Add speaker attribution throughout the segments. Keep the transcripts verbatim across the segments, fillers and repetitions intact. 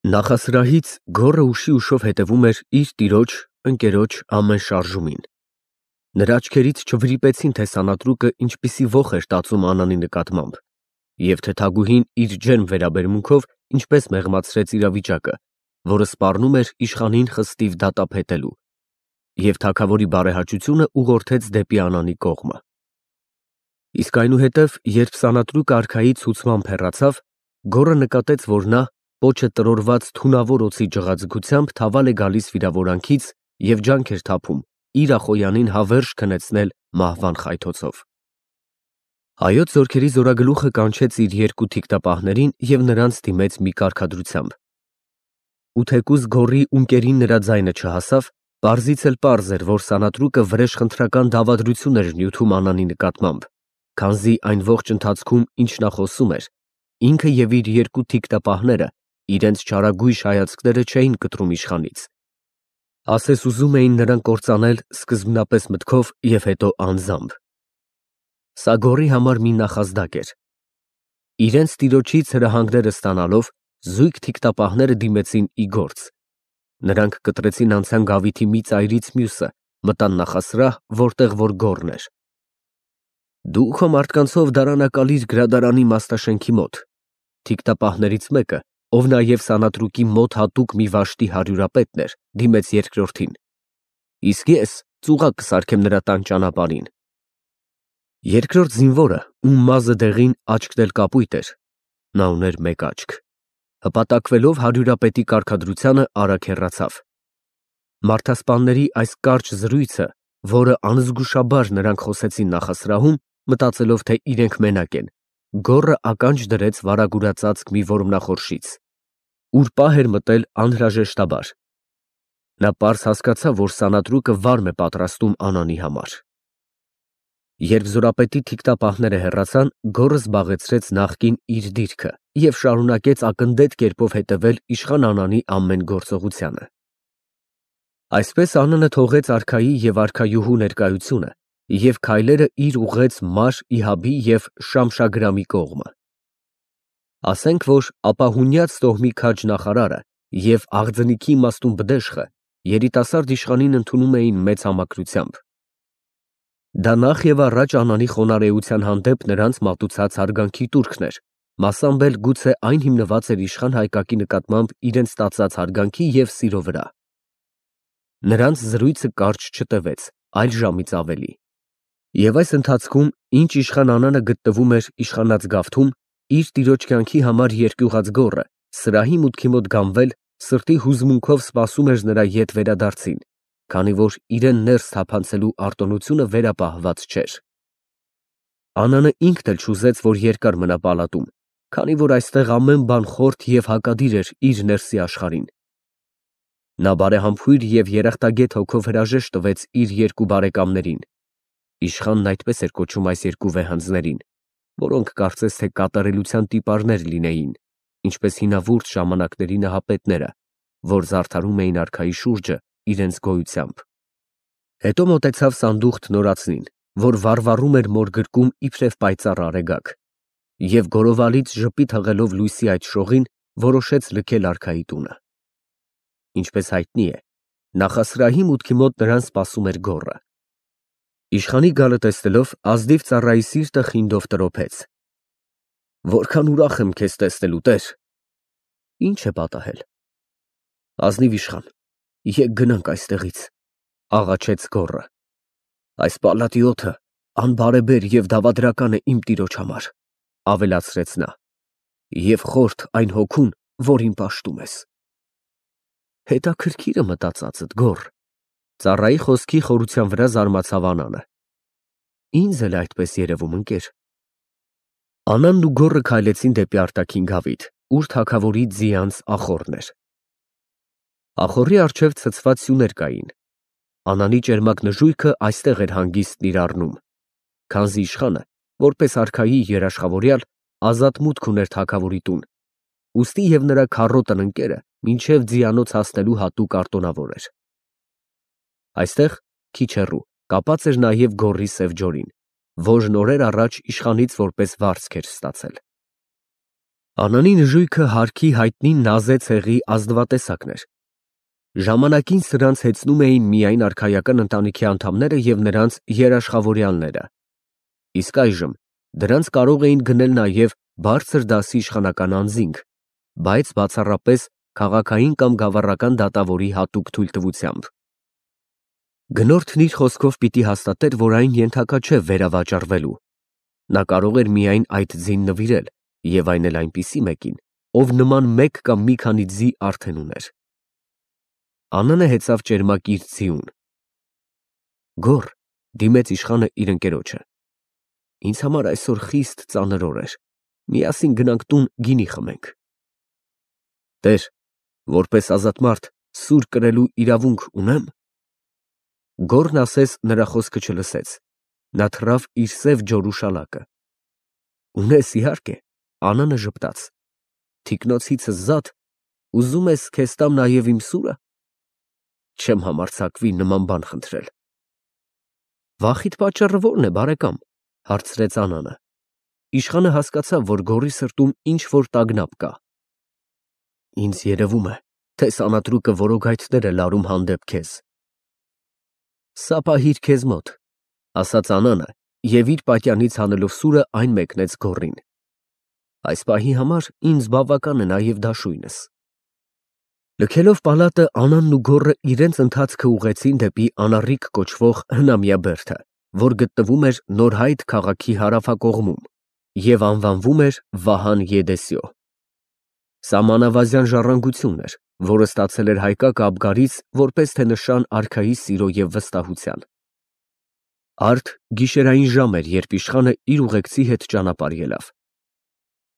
Speaker 1: Նախասրահից գոռը ուշի ուշով հետևում էր իր տիրոջ, ընկերոջ ամեն շարժումին. նրա աչքերից չվրիպեցին, թե սանատրուկը ինչպիսի ոխ էր տածում Անանի նկատմամբ, և թագուհին իր ջերմ վերաբերմունքով ինչպես մեղմացրեց իրավիճակը, որը սպառնում էր իշխանին խստիվ դատապետելու, և թագավորի բարեհաճությունը ուղղորդեց դեպի Անանի կողմը։ Իսկ այնուհետև, երբ սանատրուկը արքայի ցուցմամբ հեռացավ, գոռը նկատեց, որ նա, պոչը տրորված թունավոր օձի ջղաձգությամբ թավալ է գալիս վիրավորանքից և ջանք էր թափում իր Ախոյանին հավերժ քնեցնել մահվան խայթոցով։ Հայոց զորքերի զորագլուխը կանչեց իր երկու թիկտապահներին և նրանց դիմեց մի կարգադրությամբ։ Ու թեկուզ գոռի ունկերին նրա ձայնը չհասավ, պարզից էլ պարզ էր, որ սանատրուկը վրեժխնդրական դավադրություն էր նյութում Անանի նկատմամբ, քանզի այն ողջ ընթացքում, ինչ նա խոսում էր, ինքը և իր երկու թիկտապահները իրենց չարագույժ հայացքները չէին կտրում իշխանից, ասես ուզում էին նրան կործանել սկզբնապես մտքով և հետո անձամբ։ Սա գոռի համար մի նախազդակ էր։ Իրենց տիրոջից հրահանգները ստանալով, զույգ թիկտապահները դիմեցին ի գործ։ Նրանք կտրեցին անցան գավիթի մի ծայրից մյուսը, մտան նախասրահ, որտեղ որ գոռն էր։ Դու քո մարդկանցով դարանակալիր գրադարանի մասնաշենքի մոտ։ Թիկտապահներից մեկը, ով նաև սանատրուկի մոտ հատուկ մի վաշտի հարյուրապետն էր, դիմեց երկրորդին. Իսկ ես ծուղակ կսարքեմ նրա տան ճանապարհին։ Երկրորդ զինվորը, ում մազը դեղին, աչքն էլ կապույտ էր, նա ուներ մեկ աչք, հպատակվելով հարյուրապետի կարգադրությանը, արագ հեռացավ։ Մարդասպանների այս կարճ զրույցը, որը անզգուշաբար նրանք խոսեցին նախասրահում, մտածելով, թե իրենք մենակ են, գոռը ականջ դրեց վարագուրածածկ մի որմնախորշից, ուր պահ էր մտել անհրաժեշտաբար։ Նա պարզ հասկացավ, որ սանատրուկը վարմ է պատրաստում Անանի համար։ Երբ զորապետի թիկտապահները հեռացան, գոռը զբաղեցրեց նախկին իր դիրքը և շարունակեց ակնդետ կերպով հետևել իշխան Անանի ամեն գործողությանը։ Այսպես Անանը թողեց արքայի և արքայուհու ներկայությունը և քայլերը իր ուղղեց Մար Իհաբի և Շամշագրամի կողմը։ Ասենք, որ ապահունյաց տոհմի քաջ նախարարը և աղձնիքի իմաստուն բդեշխը երիտասարդ իշխանին ընդունում էին մեծ համակրությամբ։ Դա նախ և առաջ Անանի խոնարհեության հանդեպ նրանց մատուցած հարգանքի տուրքն էր, մասամբ էլ գուցե այն հիմնված էր իշխան Հայկակի նկատմամբ իրենց տածած հարգանքի և սիրո վրա։ Նրանց զրույցը կարճ չտևեց, այլ ժամից ավելի։ Եվ այս ընթացքում, ինչ իշխան Անանը գտնվում էր իշխանած գավթում, իր տիրոջ կյանքի համար երկյուղած գոռը, սրահի մուտքի մոտ գանվել, սրտի հուզմունքով սպասում էր նրա ետ վերադարձին, քանի որ իրեն ներս թափանցելու արտոնությունը վերապահված չէր։ Անանը ինքն էլ չուզեց, որ երկար մնա պալատում, քանի որ այստեղ ամեն բան խորթ և հակադիր էր իր ներսի աշխարհին։ Նա բարեհամբույր և երախտագետ հոգով հրաժեշտ տվեց իր երկու բարեկամներին (իշխանն այդպես էր կոչում այս երկու վեհանձներին, որոնք կարծես թե կատարելության տիպարներ լինեին, ինչպես հինավուրց ժամանակների նահապետները, որ զարդարում էին արքայի շուրջը իրենց գոյությամբ)։ Հետո մոտեցավ սանդուղք տնորացնին, որ վառվառում էր մոր գրկում իբրև պայծառ արեգակ, և գորովալից ժպիտ հղելով լույսի այդ շողին, որոշեց լքել արքայի տունը։ Ինչպես հայտնի է, նախասրահի մուտքի մոտ նրան սպասում էր գոռը։ Իշխանի գալը տեսնելով, ազնիվ ծառայի սիրտը խինդով տրոփեց։ Որքան ուրախ եմ քեզ տեսնելու, տեր։ Ինչ է պատահել։ Ազնիվ իշխան, եկ գնանք այստեղից, աղաչեց գոռը։ Այս պալատի օդը անբարեբեր և դավադրական է իմ տիրոջ համար, ավելացրեց նա, և խորթ այն հոգուն, որին պաշտում ես։ Հետաքրքիր է մտածածդ, գոռ։ Ծառայի խոսքի խորության վրա զարմացավ Անանը։ Ինձ էլ այդպես երևում, ընկեր։ Անանն ու գոռը քայլեցին դեպի արտաքին գավիթ, ուր թագավորի ձիանց ախոռն էր։ Ախոռի առջև ցցված սյուներ կային։ Անանի ճերմակ նժույգը այստեղ էր հանգիստն իր առնում, քանզի իշխանը, որպես արքայի երաշխավորյալ, ազատ մուտք ուներ թագավորի տուն, ուստի և նրա քառոտն ընկերը մինչև ձիանոց հասնելու հատուկ արտոնավոր էր։ Այստեղ, քիչ հեռու, կապած էր նաև գոռի սև ջորին, որն օրեր առաջ իշխանից որպես վարձք էր ստացել։ Անանի նժույգը հարկի հայտնի նազե ցեղի ազնվատեսակն էր։ Ժամանակին սրանց հեծնում էին միայն արքայական ընտանիքի անդամները և նրանց երաշխավորյալները, իսկ այժմ դրանց կարող էին գնել նաև բարձր դասի իշխանական անձինք, բայց բացառապես քաղաքային կամ գավառական դատավորի հատուկ թույլտվությամբ։ Գնորդն իր խոսքով պիտի հաստատեր, որ այն ենթակա չէ վերավաճառվելու, նա կարող էր միայն այդ ձին նվիրել և այն էլ այնպիսի մեկին, ով նման մեկ կամ մի քանի ձի արդեն ուներ։ Անանը հեծավ ճերմակ իր ձիուն։ Գոռ, դիմեց իշխանը իր ընկերոջը, ինձ համար այսօր խիստ ծանր օր էր, միասին գնանք տուն գինի խմենք։ Տեր, որպես ազատ մարդ սուր կրելու իրավունք ունե՞մ։ Գոռն ասես նրա խոսքը չլսեց, նա թռավ իր սև ջորու շալակը։ Ունես, իհարկե, Անանը ժպտաց, թիկնոցիցս զատ, ուզում ես քեզ տամ նաև իմ սուրը։ Չեմ համարձակվի նման բան խնդրել։ Վախիդ պատճառը ո՞րն է, բարեկամ, հարցրեց Անանը։ Իշխանը հասկացավ, որ գոռի սրտում ինչ-որ տագնապ կա։ Ինձ երևում է, թե սանատրուկը որոգայթներ է լարում հանդեպ քեզ։ Սա պահիր քեզ մոտ, ասաց Անանը և իր պատյանից հանելով սուրը այն մեկնեց գոռին։ Այս պահի համար ինձ բավական է նաև դաշույնս։ Լքելով պալատը, Անանն ու գոռը իրենց ընթացքը ուղղեցին դեպի Անառիկ կոչվող հնամյա բերդը, որ գտնվում էր Նորհայտ քաղաքի հարավակողմում և անվանվում էր Վահան Եդեսիո։ Սա մանավազյան ժառանգություն էր, որը ստացել էր Հայկակը Աբգարից որպես թե նշան արքայի սիրո և վստահության։ Արդ գիշերային ժամ էր, երբ իշխանը իր ուղեկցի հետ ճանապարհ ելավ։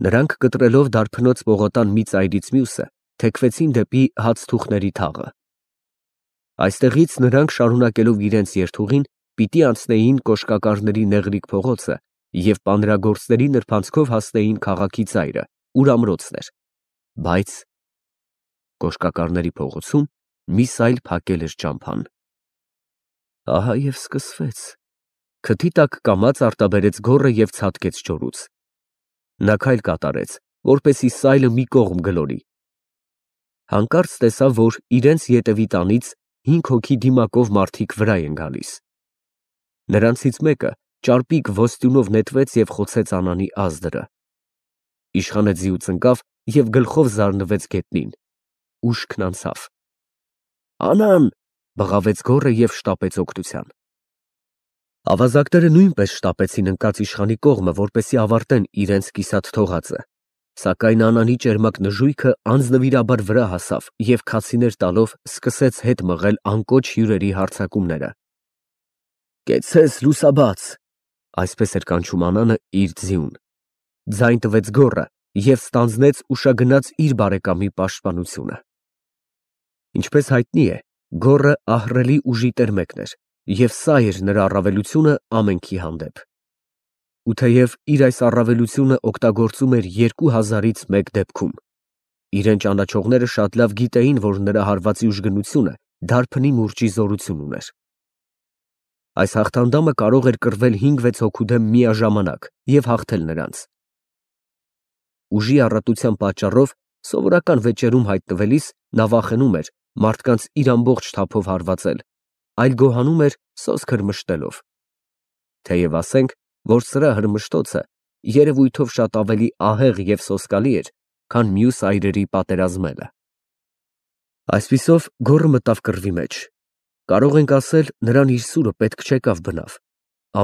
Speaker 1: Նրանք կտրելով դարբնոց պողոտան մի ծայրից մյուսը, թեքվեցին դեպի Հացթուխների թաղը։ Այստեղից նրանք շարունակելով իրենց երթուղին, պիտի անցնեին Կոշկակարների նեղլիկ փողոցը և պանրագործների նրբանցքով հասնեին քաղաքի ծայրը, ուր ամրոցն էր, բայց Կոշկակարների փողոցում միս այլ փակել էր ճամփան։ Ահա և սկսվեց, քթի տակ կամաց արտաբերեց գոռը և ցատկեց ջորուց։ Նա քայլ կատարեց, որպեսզի սայլը մի կողմ գլորի։ Հանկարծ տեսավ, որ իրենց ետևի տանից հինգ հոգի դիմակով մարդիկ վրա են գալիս։ Նրանցից մեկը ճարպիկ ոսტյունով նետվեց և խոցեց Անանի ազդրը։ Իշխանը ձիուց ընկավ և գլխով զարնվեց գետնին։ Ուշքն անցավ։ Անան, բղավեց գոռը և շտապեց օգնության։ Ավազակները նույնպես շտապեցին ընկած իշխանի կողմը, որպեսզի ավարտեն իրենց կիսատ թողածը, սակայն Անանի ճերմակ նժույգը անձնվիրաբար վրա հասավ և քացիներ տալով սկսեց հետ մղել անկոչ հյուրերի հարձակումները։ Կեցցես, լուսաբաց, այսպես էր կանչում Անանը իր ձիուն։ Ձայն տվեց գոռը և ստանձնեց ուշագնաց իր բարեկամի պաշտպանությունը։ Ինչպես հայտնի է, գոռը ահռելի ուժի տեր մեկն էր, և սա էր նրա առավելությունը ամենքի հանդեպ։ Ու թեև իր այս առավելությունը օգտագործում էր երկու հազարից մեկ դեպքում, իրեն ճանաչողները շատ լավ գիտեին, որ նրա հարվածի ուժգնությունը դարբնի մուրճի զորություն ուներ։ Այս հաղթանդամը կարող էր կռվել հինգ֊վեց հոգու դեմ միաժամանակ և հաղթել նրանց։ Ուժի առատության պատճառով սովորական վեճերում հայտնվելիս նա վախենում էր մարդկանց իր ամբողջ թափով հարվածել, այլ գոհանում էր սոսկ հրմշտելով։ Թեև ասենք, որ սրա հրմշտոցը երևույթով շատ ավելի ահեղ և սոսկալի էր, քան մյուս այրերի պատերազմելը։ Այսպիսով գոռը մտավ կռվի մեջ։ Կարող ենք ասել, նրան իր սուրը պետք չեկավ բնավ։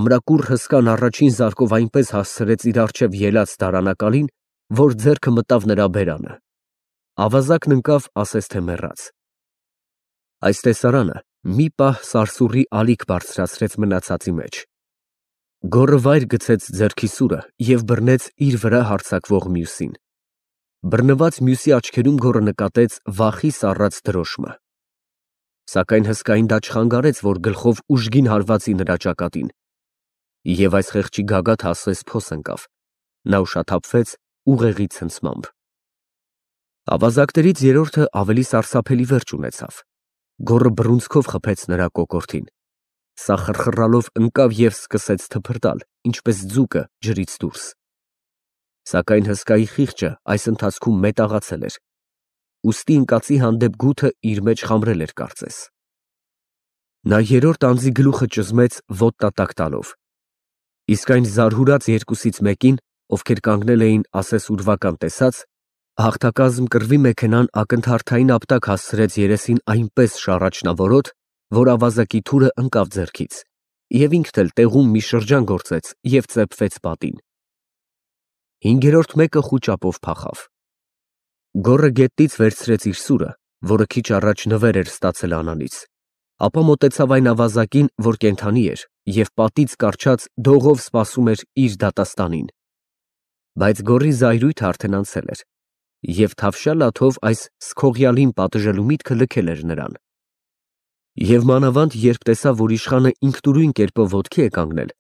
Speaker 1: Ամրակուռ հսկան առաջին զարկով այնպես հասցրեց իր առջև ելած դարանակալին, որ ձեռքը մտավ նրա բերանը։ Ավազակն ընկավ, ասես թե մեռած։ Այս տեսարանը մի պահ սարսուռի ալիք բարձրացրեց մնացածի մեջ։ Գոռը վայր գցեց ձեռքի սուրը և բռնեց իր վրա հարձակվող մյուսին։ Բռնված մյուսի աչքերում գոռը նկատեց վախի սառած դրոշմը։ Սակայն հսկային դա չխանգարեց, որ գլխով ուժգին հարվածի նրա ճակատին, և այս խեղճի գագաթը ասես փոս ընկավ, նա ուշաթափվեց ուղեղի ցնցմամբ։ Ավազակներից երրորդը ավելի սարսափելի վերջ ունեցավ։ Գոռը բռունցքով խփեց նրա կոկորդին։ Սա խռխռալով ընկավ և սկսեց թփրտալ, ինչպես ձուկը ջրից դուրս։ Սակայն հսկայի խիղճը այս ընթացքում մետաղացել էր, ուստի ընկածի հանդեպ գութը իր մեջ խամրել էր կարծես։ Նա երրորդ անձի գլուխը ճզմեց ոտնատակ տալով, իսկ այն զարհուրած երկուսից մեկին, ովքեր կանգնել էին ասես ուրվական տեսած, հաղթակազմ կռվի մեքենան ակնթարթային ապտակ հասցրեց երեսին այնպես շառաչնավորոտ, որ ավազակի թուրը ընկավ ձեռքից, և ինքն էլ տեղում մի շրջան գործեց և ծեփվեց պատին։ Հինգերորդ մեկը խուճապով փախավ։ Գոռը գետնից վերցրեց իր սուրը, որը քիչ առաջ նվեր էր ստացել Անանից, ապա մոտեցավ այն ավազակին, որ կենդանի էր, և պատից կառչած դողով սպասում էր իր դատաստանին։ Բայց գոռի զայրույթը արդեն անցել էր, և թավշյա լաթով այս սքողյալին պատժելու միտքը լքել էր նրան։ Եվ մանավանդ երբ տեսավ, որ իշխանը ինքնուրույն կերպով ոտքի է կանգնել,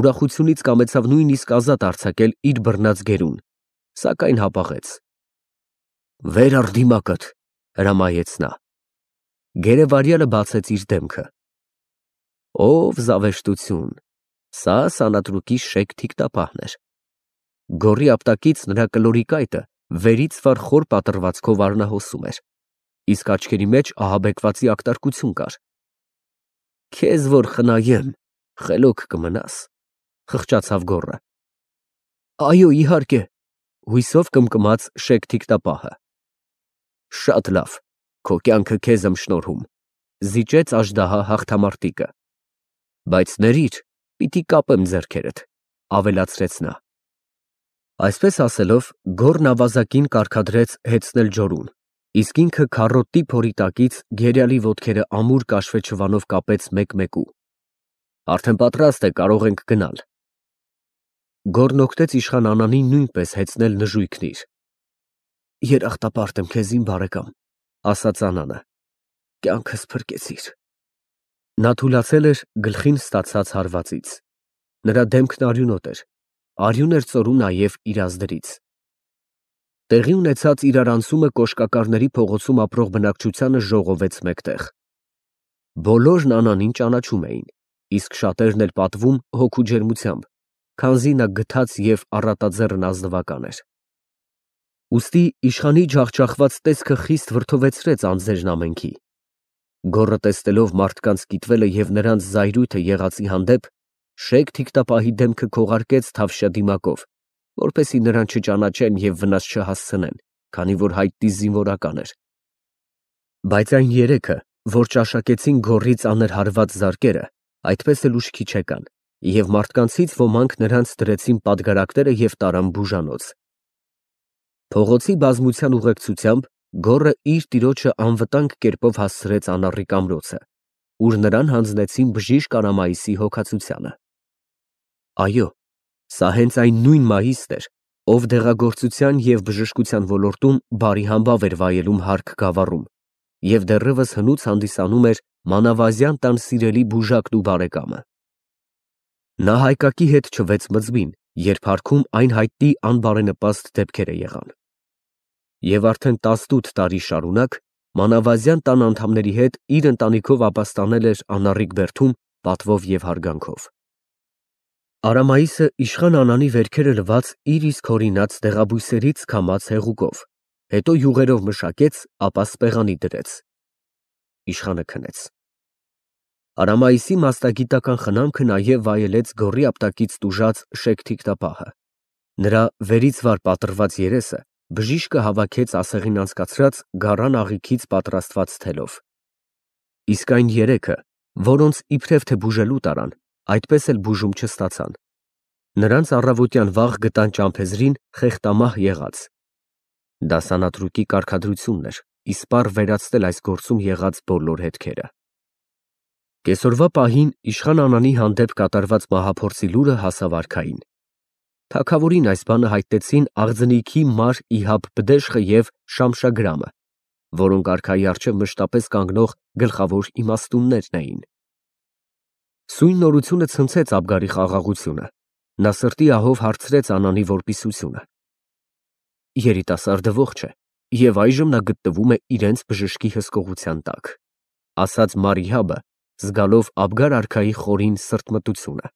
Speaker 1: ուրախությունից կամեցավ նույնիսկ ազատ արձակել իր բռնած գերուն, սակայն հապաղեց։ «Վեր առ դիմակդ», հրամայեց նա։ Գերեվարյալը բացեց իր դեմքը։ Ով զավեշտություն, սա սանատրուկի շեկ թիկտապահն էր։ Գոռի ապտակից նրա կլորի կայտը վերից վար խոր պատռվածքով արնահոսում էր, իսկ աչքերի մեջ ահաբեկվածի ակտարկություն կար։ «Քեզ որ խնայեմ, խելոք կմնաս», խղճացավ գոռը։ «Այո, իհարկե», հույսով կմկմաց շեկ թիկտապահը։ «Շատ լավ, քո կյանքը քեզ եմ շնորհում», զիջեց աժդահա հաղթամարտիկը։ «Բայց ներիր, պիտի կապեմ ձեռքերդ», ավելացրեց նա։ Այսպես ասելով, գոռն ավազակին կարգադրեց հեծնել ջորուն, իսկ ինքը քառոդի փորի տակից գերյալի ոտքերը ամուր կաշվե չվանով կապեց մեկ֊մեկու։ «Արդեն պատրաստ է, կարող ենք գնալ»։ Գոռն օգնեց իշխան Անանին նույնպես հեծնել նժույգն իր։ «Երախտապարտ եմ քեզ, իմ բարեկամ», ասաց Անանը, «կյանքս փրկեցիր»։ Նա թուլացել էր գլխին ստացած հարվածից։ Նրա դեմքն արյունոտ էր, արյուն էր ծորում նաև իր ազդրից։ Տեղի ունեցած իրարանցումը կոշկակարների փողոցում ապրող բնակչությանը ժողովեց մեկտեղ։ Բոլորն Անանին ճանաչում էին, իսկ շատերն էլ պատվում հոգու ջերմությամբ, քանզի նա գթած և առատաձեռն ազնվական էր։ Ուստի իշխանի ջախջախված տեսքը խիստ վրդովեցրեց անձերն ամենքի։ Գոռը տեսնելով մարդկանց կիտվելը և նրանց զայրույթը եղածի հանդեպ, շեկ թիկտապահի դեմքը քողարկեց թավշյա դիմակով, որպեսզի նրան չճանաչեն և վնաս չհասցնեն, քանի որ հայտնի զինվորական էր։ Բայց այն երեքը, որ ճաշակեցին գոռի ծանր հարված զարկերը, այդպես էլ ուշքի չեկան, և մարդկանցից ոմանք նրանց դրեցին պատգարակները և տարան բուժանոց։ Փողոցի բազմության ուղեկցությամբ գոռը իր տիրոջը անվտանգ կերպով հասցրեց անառիկ ամրոցը, ուր նրան հանձնեցին բժիշկ Արամայիսի հոգացությանը։ Այո, սա հենց այն նույն Մայիսն էր, ով դեղագործության և բժշկության ոլորտում բարի համբավ էր վայելում Հարք գավառում և դեռևս հնուց հանդիսանում էր մանավազյան տան սիրելի բուժակն ու բարեկամը։ Նա հայկակի հետ չվեց մզմին, երբ Հարքում այն հայտնի անբարենպաստ դեպքերը եղան։ Եվ արդեն տասնութ տարի շարունակ մանավազյան տան անդամների հետ իր ընտանիքով ապաստանել էր անառիկ բերդում պատվով և հարգանքով։ Արամայիսը իշխան Անանի վերքերը լվաց իր իսկ հորինած դեղաբույսերից քամած հեղուկով, հետո յուղերով մշակեց, ապա սպեղանի դրեց։ Իշխանը քնեց։ Արամայիսի մասնագիտական խնամքը նաև վայելեց գոռի ապտակից տուժած շեկ թիկտապահը։ Նրա վերից վար պատռված երեսը բժիշկը հավաքեց ասեղին անցկացրած գարան աղիքից պատրաստված թելով։ Իսկ այն երեքը, որոնց իբրև թե բուժելու տարան, այդպես էլ բուժում չստացան։ Նրանց առավոտյան վաղ գտան ճամփեզրին խեղտամահ եղած։ Դա սանատրուկի կարգադրությունն էր իսպառ վերացնել այս գործում եղած բոլոր հետքերը։ Կեսօրվա պահին իշխան Անանի հանդեպ կատարված մահափորձի լուրը հասավ արքային։ Թագավորին այս բանը հայտնեցին Աղձնիքի մար Իհաբ Բդեշխը և Շամշագրամը, որոնք արքայի առջև մշտապես կանգնող գլխավոր իմաստուններն էին։ Սույն նորությունը ցնցեց Աբգարի խաղաղությունը։ Նա սրտի ահով հարցրեց Անանի որպիսությունը։ Երիտասարդը ողջ է, և այժմ նա գտնվում է իրենց բժշկի հսկողության տակ, ասաց մար Իհաբը, զգալով Աբգար արքայի խորին սրտմտությունը։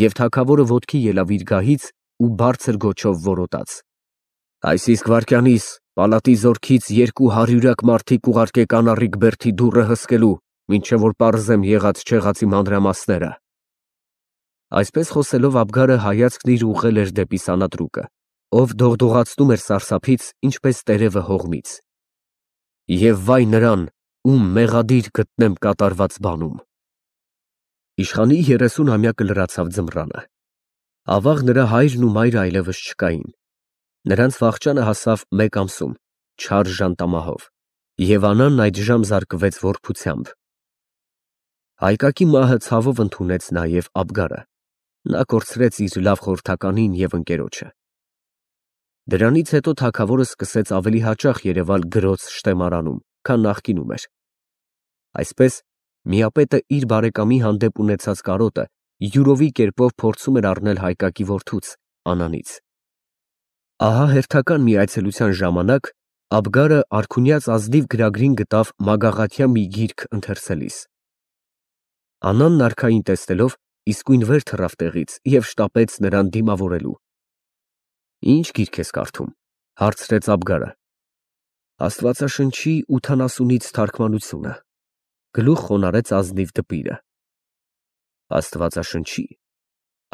Speaker 1: Եվ թագավորը ոտքի ելավ իր գահից ու բարձր գոչով որոտաց. «Այս իսկ վայրկյանիս պալատի զորքից երկու հարյուրյակ մարդիկ ուղարկեք անառիկ բերդի դուռը հսկելու, մինչև որ պարզեմ եղած֊չեղածի մանրամասները»։ Այսպես խոսելով Աբգարը հայացքն իր ուղղել էր դեպի սանատրուկը, ով դողդողացնում էր սարսափից, ինչպես տերևը հողմից։ Եվ վայ նրան, ում մեղադիր գտնեմ կատարված բանում։ Իշխանի երեսունամյակը լրացավ ձմռանը։ Ավաղ նրա հայրն ու մայրը այլևս չկային։ Նրանց վախճանը հասավ մեկ ամսում, չար ժանտամահով, և Անանն այդժամ զարկվեց որբությամբ։ Հայկակի մահը ցավով ընդունեց նաև Աբգարը, նա կորցրեց իր լավ խորհրդականին և ընկերոջը։ Դրանից հետո թագավորը սկսեց ավելի հաճախ երևալ գրոց շտեմարանում, քան նախկինում էր։ Այսպես միապետը իր բարեկամի հանդեպ ունեցած կարոտը յուրովի կերպով փորձում էր առնել հայկակի որդուց՝ Անանից։ Ահա հերթական մի այցելության ժամանակ Աբգարը արքունյաց ազնիվ գրագրին գտավ մագաղաթյա մի գիրք ընթերցելիս։ Անանն արքային տեսնելով իսկույն վեր թռավ տեղից և շտապեց նրան դիմավորելու։ «Ի՞նչ գիրք ես կարդում», հարցրեց Աբգարը։ «Աստվածաշնչի ութանասունից թարգմանությունը», գլուխ խոնարհեց ազնիվ դպիրը։ «Աստվածաշնչի»։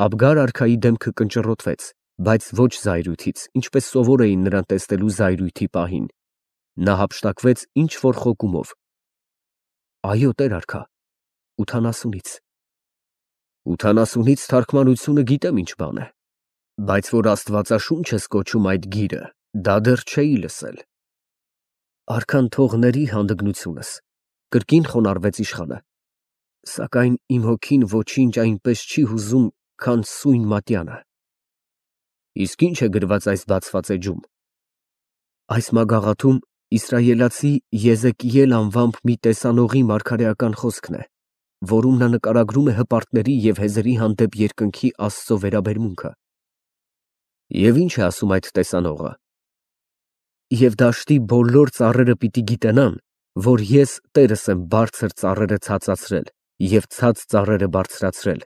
Speaker 1: Աբգար արքայի դեմքը կնճռոտվեց, բայց ոչ զայրույթից, ինչպես սովոր էին նրան տեսնելու զայրույթի պահին։ Նա հափշտակվեց ինչ֊որ խոկումով։ «Այո, տեր արքա, ութանասունից»։ «Ութանասունից թարգմանությունը գիտեմ ինչ բան է, բայց որ Աստվածաշունչ ես կոչում այդ գիրը, դա դեռ չէի լսել»։ «Արքան թող ների հանդգնությունս», կրկին խոնարհվեց իշխանը, «սակայն իմ հոգին ոչինչ այնպես չի հուզում, քան սույն մատյանը»։ «Իսկ ի՞նչ է գրված այս բացված էջում»։ «Այս մագաղաթում իսրայելացի Եզեկիել անվամբ մի տեսանողի մարգարեական խոսքն է, որում նա նկարագրում է հպարտների և հեզերի հանդեպ երկնքի Աստծո վերաբերմունքը»։ «Եվ ի՞նչ է ասում այդ տեսանողը»։ «Եվ դաշտի բոլոր ծառերը պիտի գիտենան, որ ես Տերս եմ բարձր ծառերը ցածացրել և ցած ծառերը բարձրացրել,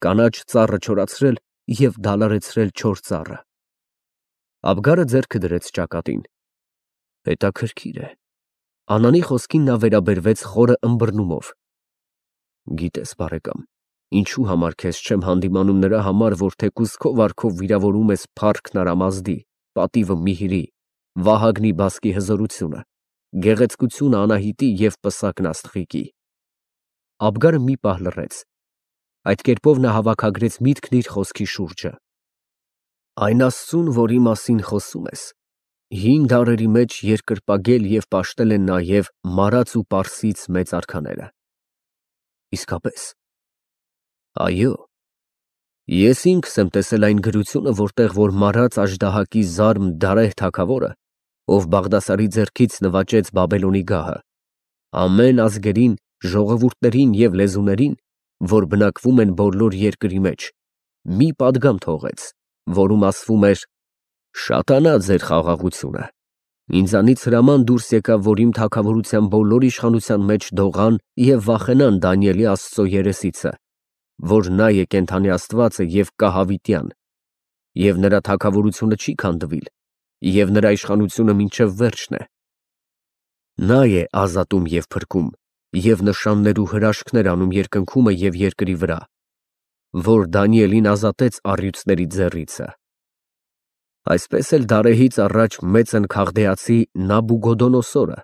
Speaker 1: կանաչ ծառը չորացրել և դալարեցրել չոր ծառը»։ Աբգարը ձեռքը դրեց ճակատին։ «Հետաքրքիր է»։ Անանի խոսքին նա վերաբերվեց խորը ըմբռնումով։ «Գիտես, բարեկամ, ինչու համար քեզ չեմ հանդիմանում նրա համար, որ թեկուզ քո վարքով վիրավորում ես փառքն Արամազդի, պատիվը Միհրի, Վահագնի բասկի հզորությունը, գեղեցկությունը Անահիտի և պսակն Աստղիկի»։ Աբգարը մի պահ լռեց։ Այդ կերպով նա հավաքագրեց միտքն իր խոսքի շուրջը։ «Այն Աստծուն, որի մասին խոսում ես, հին դարերի մեջ երկրպագել և պաշտել են նաև մարած ու պարսից մեծ արքաները»։ «Իսկապես»։ «Այո։ Ես ինքս եմ տեսել այն գրությունը, որտեղ որ մարած աժդահակի զարմ Դարեհ թագավորը, ով Բաղդասարի ձեռքից նվաճեց Բաբելոնի գահը, ամեն ազգերին, ժողովուրդներին և լեզուներին, որ բնակվում են բոլոր երկրի մեջ, մի պատգամ թողեց, որում ասվում էր. «Շատանա ձեր խաղաղությունը»։ Ինձանից հրաման դուրս եկավ, որ իմ թագավորության բոլոր իշխանության մեջ դողան և վախենան Դանիելի Աստծո երեսիցը, որ նա է կենդանի Աստվածը և կա հավիտյան, և նրա թագավորությունը չի քանդվիլ, և նրա իշխանությունը մինչև վերջն է։ Նա է ազատում և փրկում, և նշաններ ու հրաշքներ անում երկնքումը և երկրի վրա, որ Դանիելին ազատեց առյուծների ձեռիցը։ Այսպես էլ դարեհից առաջ մեծն քաղդեացի Նաբուգոդոնոսորը,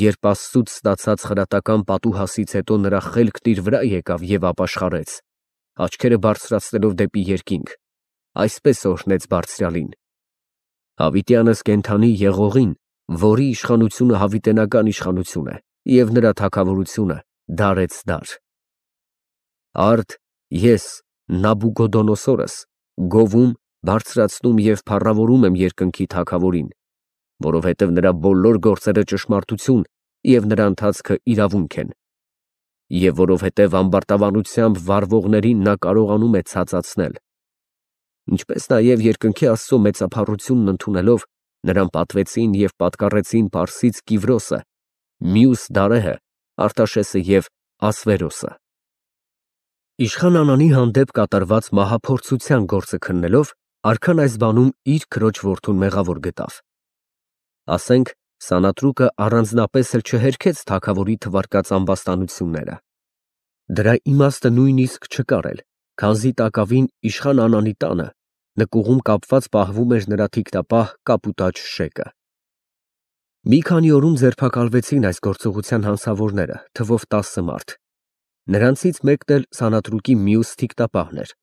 Speaker 1: երբ Աստծուց ստացած խրատական պատուհասից հետո նրա խելքն իր վրա եկավ և ապաշխարեց, աչքերը բարձրացնելով դեպի երկինք, այսպես օրհնեց Բարձրյալին. «Հավիտյանս կենդանի Եղողին, որի իշխանությունը հավիտենական իշխանություն է, և նրա թագավորությունը դարեց դար»։ Արդ ես Նաբուգոդոնոսորս գովում, բարձրացնում և փառավորում եմ երկնքի Թագավորին, որովհետև նրա բոլոր գործերը ճշմարտություն և նրա ընթացքը իրավունք են, և որովհետև ամբարտավանությամբ վարվողներին նա կարողանում է ցածացնել, ինչպես նաև երկնքի Աստծո մեծափառությունն ընդունելով նրան պատվեցին և պատկառեցին պարսից Կիվրոսը, մյուս Դարեհը, Արտաշեսը և Ասվերոսը։ Իշխան Անանի հանդեպ կատարված մահափորձության գործը քննելով Արքան այս բանում իր քրոջ որդուն մեղավոր գտավ։ Ասենք, սանատրուկը առանձնապես էլ չհերքեց թագավորի թվարկած ամբաստանությունները։ Դրա իմաստը նույնիսկ չկար էլ, քանզի տակավին իշխան Անանի տանը նկուղում կապված պահվում էր նրա թիկնապահ կապուտաչ Շեկը։ Մի քանի օրում ձերբակալվեցին այս գործողության հանցավորները, թվով տասը մարդ։ Նրանցից մեկն էլ սանատրուկի մյուս թիկնապահն էր,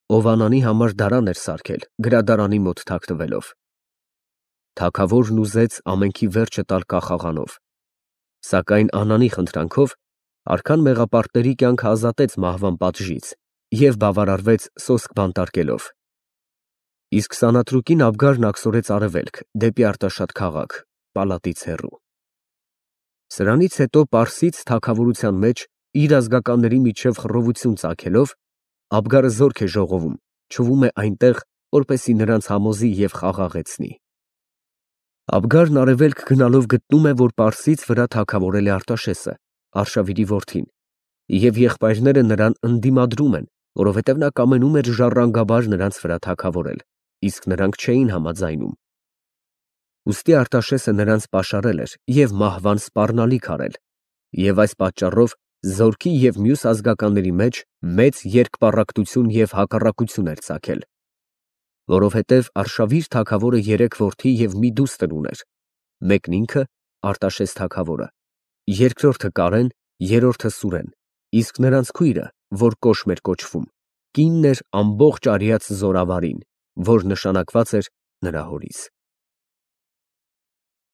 Speaker 1: ով Անանի համար դարան էր սարքել, գրադարանի մոտ թաքնվելով։ Թագավորն ուզեց ամենքի վերջը տալ կախաղանով, սակայն Անանի խնդրանքով արքան մեղապարտների կյանքը ազատեց մահվան պատժից և բավարարվեց սոսկ բանտարկելով։ Իսկ սանատրուկին Աբգարն աքսորեց արևելք, դեպի Արտաշատ քաղաք, պալատից հեռու։ Սրանից հետո Պարսից թագավորության մեջ իր ազգականների միջև խռովություն ծագելով, Աբգարը զորք է ժողովում, չվում է այնտեղ, որպեսզի նրանց համոզի և խաղաղեցնի։ Աբգարն արևելք գնալով գտնում է, որ Պարսից վրա թագավորել է Արտաշեսը, Արշավիրի որդին, և եղբայրները նրան ընդդիմադրում են, որովհետև նա կամենում էր ժառանգաբար նրանց վրա թագավորել, իսկ նրանք չէին համաձայնում։ Ուստի Արտաշեսը նրանց պաշարել էր և մահվան սպառնալիք արել, և այս պատճառով զորքի և մյուս ազգականների մեջ մեծ երկպառակտություն և հակառակություն էր ծագել, որովհետև Արշավիր թագավորը երեք որդի և մի դուստր ուներ, մեկն ինքը Արտաշես թագավորը, երկրորդը Կարեն, երրորդը Սուրեն, իսկ նրանց քույրը, որ Կոշմ էր կոչվում, կինն էր ամբողջ արյաց Զորավարին, որ նշանակված էր նրա հորից։